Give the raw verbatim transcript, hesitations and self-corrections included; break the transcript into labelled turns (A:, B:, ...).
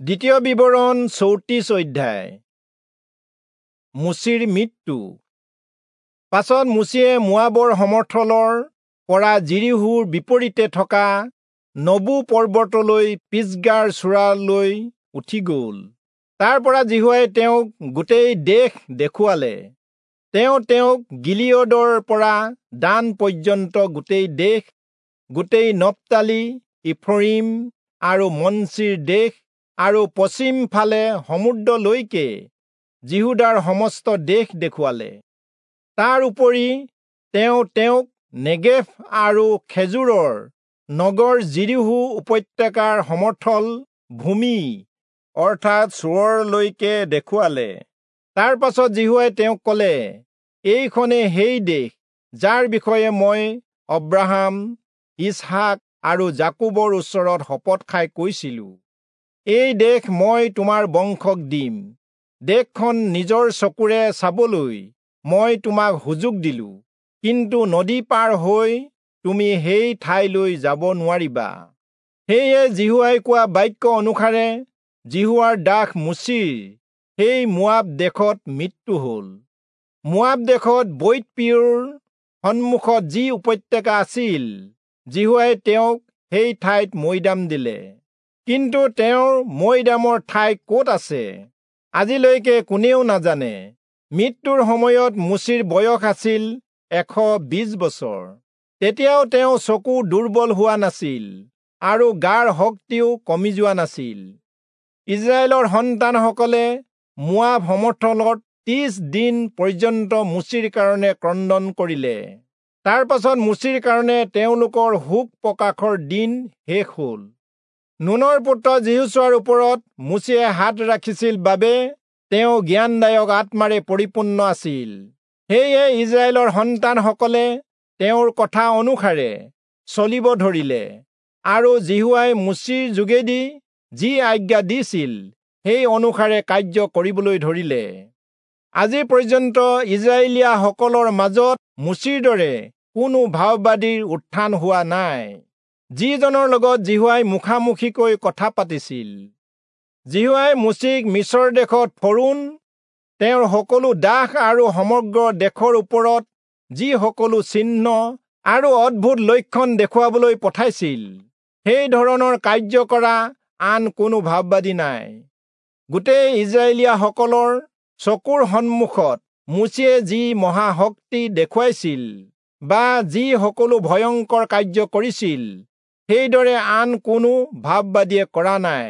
A: দ্বিতীয় বিৱৰণ চৌত্ৰিশ অধ্যায়। মোচিৰ মৃত্যু। পাছত মোচিয়ে মোৱাবৰ সমথলৰ পৰা যিৰীহোৰ বিপৰীতে থকা নবো পৰ্বতলৈ পিচগাৰ চূড়ালৈ উঠি গ'ল। তাৰ পৰা যিহোৱাই তেওঁক গোটেই দেশ দেখুৱালে। তেওঁ তেওঁক গিলিয়দৰ পৰা দান পৰ্যন্ত গোটেই দেশ, গোটেই নপ্তালী, ইফ্ৰয়িম আৰু মনচিৰ দেশ আৰু পশ্চিম ফালে সমুদ্ৰলৈকে যিহূদাৰ সমস্ত দেশ দেখুৱালে। তাৰ উপৰি তেওঁ তেওঁক নেগেভ আৰু খেজুৰৰ নগৰ যিৰীহো উপত্যকাৰ সমথল ভূমি অৰ্থাৎ চোৱৰলৈকে দেখুৱালে। তাৰ পাছত যিহোৱাই তেওঁক ক'লে, এইখনে সেই দেশ যাৰ বিষয়ে মই অব্ৰাহাম, ইচহাক আৰু যাকোবৰ ওচৰত শপত খাই কৈছিলো, এই দেশ মই তোমাৰ বংশক দিম। দেশখন নিজৰ চকুৰে চাবলৈ মই তোমাক সুযোগ দিলো, কিন্তু নদী পাৰ হৈ তুমি সেই ঠাইলৈ যাব নোৱাৰিবা। সেয়ে যিহোৱাই কোৱা বাক্য অনুসাৰে যিহোৱাৰ দাস মোচিৰ সেই মোৱাব দেশত মৃত্যু হ'ল। মোৱাব দেশত বৈৎ-পিয়ৰ সন্মুখত যি উপত্যকা আছিল, যিহোৱাই তেওঁক সেই ঠাইত মৈদাম দিলে। কিন্তু তেওঁৰ মৈদামৰ ঠাই ক'ত আছে আজিলৈকে কোনেও নাজানে। মৃত্যুৰ সময়ত মোচিৰ বয়স আছিল এশ বিশ বছৰ। তেতিয়াও তেওঁ চকু দুৰ্বল হোৱা নাছিল আৰু গাৰ শক্তিও কমি যোৱা নাছিল। ইস্ৰায়েলৰ সন্তানসকলে মোৱাব সমথলত ত্ৰিশ দিন পৰ্যন্ত মোচিৰ কাৰণে ক্ৰন্দন কৰিলে। তাৰ পাছত মোচিৰ কাৰণে তেওঁলোকৰ শোক প্ৰকাশৰ দিন শেষ হ'ল। নুনৰ পুত্ৰ যিহোচূৱাৰ ওপৰত মোচিয়ে হাত ৰাখিছিল বাবে তেওঁ জ্ঞানদায়ক আত্মাৰে পৰিপূৰ্ণ আছিল। সেয়ে ইস্ৰায়েলৰ সন্তানসকলে তেওঁৰ কথা অনুসাৰে চলিব ধৰিলে আৰু যিহোৱাই মোচিৰ যোগেদি যি আজ্ঞা দিছিল সেই অনুসাৰে কাৰ্য কৰিবলৈ ধৰিলে। আজি পৰ্যন্ত ইস্ৰায়েলীয়াসকলৰ মাজত মোচিৰ দৰে কোনো ভাববাদীৰ উত্থান হোৱা নাই, যিজনৰ লগত যিহোৱাই মুখামুখিকৈ কথা পাতিছিল। যিহোৱাই মোচিক মিচৰ দেশত ফৰৌণ, তেওঁৰ সকলো দাস আৰু সমগ্ৰ দেশৰ ওপৰত যি সকলো চিহ্ন আৰু অদ্ভুত লক্ষণ দেখুৱাবলৈ পঠাইছিল, সেই ধৰণৰ কাৰ্য কৰা আন কোনো ভাববাদী নাই। গোটেই ইস্ৰায়েলীয়াসকলৰ চকুৰ সন্মুখত মোচিয়ে যি মহাশক্তি দেখুৱাইছিল বা যি সকলো ভয়ংকৰ কাৰ্য কৰিছিল, সেইদৰে আন কোনো ভাববাদীয়ে কৰা নাই।